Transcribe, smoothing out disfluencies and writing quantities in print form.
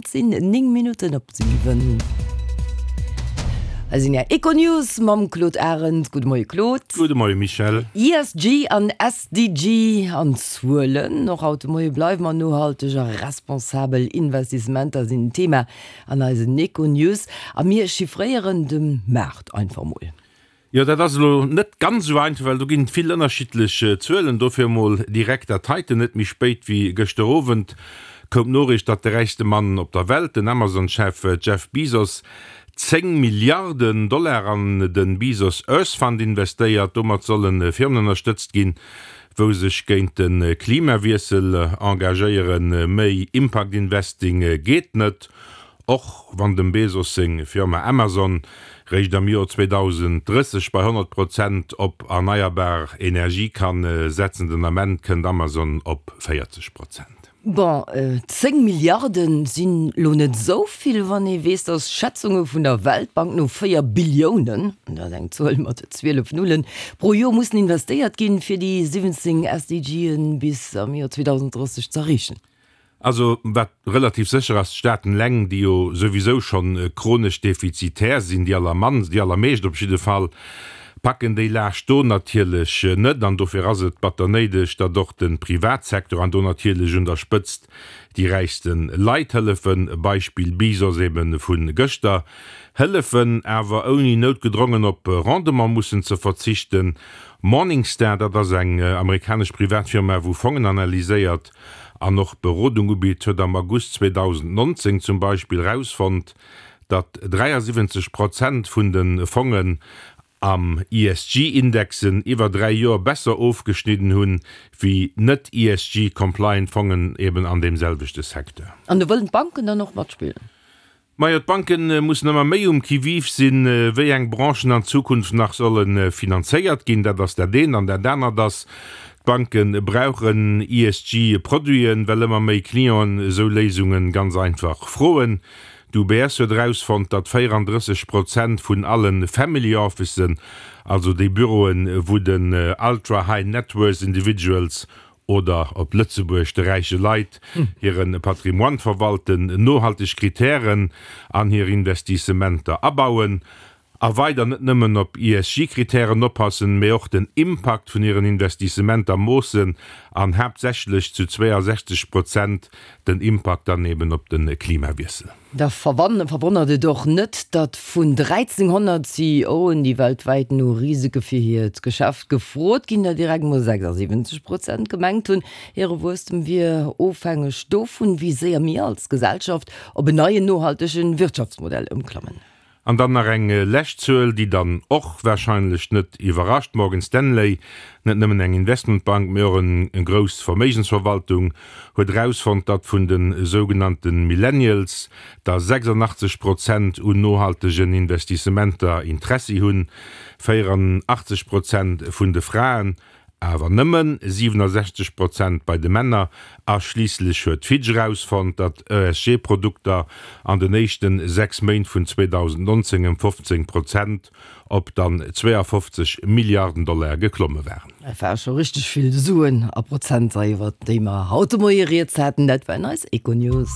Et sinn 9 Minutten op 7. Hei sinn Är Econews mam Claude Arend. Gudde Moie Claude. Gudde Moie Michèle. ESG an SDG an Zuelen. Och haut de Moie bleiwe mer nohalteg a responsabel Investissementer sinn Thema an eisen Econews. A mir chiffréieren de Maart einfach mol. Jo, dat ass elo net ganz esou einfach, well do ginn et vill ënnerschiddlech Zuelen. Dofir emol direkt dat heiten, Net méi spéit wéi gëschter Owend koum d'Noriicht, datt de räichste Mann op der Welt, den Amazon-Chef Jeff Bezos, 10 Milliarden Dollar an de Bezos Earth Fund investéiert. Domat solle Firmen ënnerstëtzt ginn, wou sech géint de Klimawiessel engagéieren. Méi Impact Investing geet net. Och wann dem Bezos seng Firma Amazon réischt am Joer 2030 bei 100 Prozent op erneierbar Energie kann setzen, den Ament kënnt Amazon op 40 Prozent. Bon, 10 Milliarden sinn lo net esou vill, wann ee weess, datt Schätzunge vun der Weltbank no 4 Billiounen, dat ass eng Zuel mat 12 Nullen, pro Joer mussen investéiert ginn, fir déi 17 SDGen bis am Joer 2030 z'erreechen. Also, wat relativ sécher ass, d'Staaten eleng, déi jo souwisou schonn chronesch defizitär sinn, déi allermannst, déi allermeescht op jidde Fall, packen déi Laascht do natierlech net. An dofir ass et batter néideg, datt och de Privatsektor, an do natierlech un der Spëtzt déi räichste Leit hëllefen, Beispill Bezos ebe vu gëschter, hëllefen, awer ouni noutgedrongen op Rendement mussen ze verzichten. Morningstar, dat ass eng amerikanesch Privatfirma, wou Fongen analyséiert, an och Berodung ubitt, huet am August 2019 zum Beispill rausfonnt, datt 73 Prozent vun de Fongen am ESG-Indexen iwwer 3 Joer besser ofgeschnidden hunn, wéi net-ESG-compliant Fongen eben an deem selwechte Secteur. An do wëllen d'Banken dann och matspillen? Majo, d'Banke mussen ëmmer méi um Qui-vive sinn, wéi eng Branchen an Zukunft nach solle finanzéiert ginn. Dat ass dat eent. An dat anert ass, d'Banke brauchen ESG-Produiten, well ëmmer méi Clienten esou Léisunge ganz einfach froen. D'UBS huet erausfonnt, datt 34 Prozent vun alle Family Officen, also déi Büroen, wou den Ultra High Net Worth Individuals oder op Lëtzebuerg de räiche Leit hire Patrimoine verwalten, nohalteg Kritären an hir Investissementer abauen a weider net nëmmen op ESG-Kritären oppassen, mee och den Impakt vun hiren Investissementer moossen an haaptsächlech zu 62 Prozent den Impakt dann eben op de Klimawiessel. Da verwonnert et och net, datt vun 1.300 CEOen, déi weltwäit no Risike fir hiert Geschäft gefrot ginn, der direkt mol 76 Prozent gemengt hunn, hire Wuesstem wier ofhängeg dovun, wéi séier mir als Gesellschaft op en neien nohaltege Wirtschaftsmodell ëmklammen. An dann nach eng lescht Zuel, déi dann och wahrscheinlech net iwwerrascht, Morgan Stanley, net nëmmen eng Investmentbank, mee och en grouss Verméigensverwaltung, huet erausfonnt, datt vun de sougenannte Millennials der 86 Prozent un nohaltegen Investissementer Interessi hunn, 84 Prozent vun de Fraen Awer nëmmen 67 Prozent bei de Männer. A schliisslech huet Fitch erausfonnt, datt ESG-Produkter an den éischten 6 Méint vun 2019 ëm 15 Prozent op dann 52 Milliarden Dollar geklomme waren. Dat ware scho richteg vill Suen a Prozenter, iwwert déi mer haut de Moie rieds haten. Dat waren eis Econews.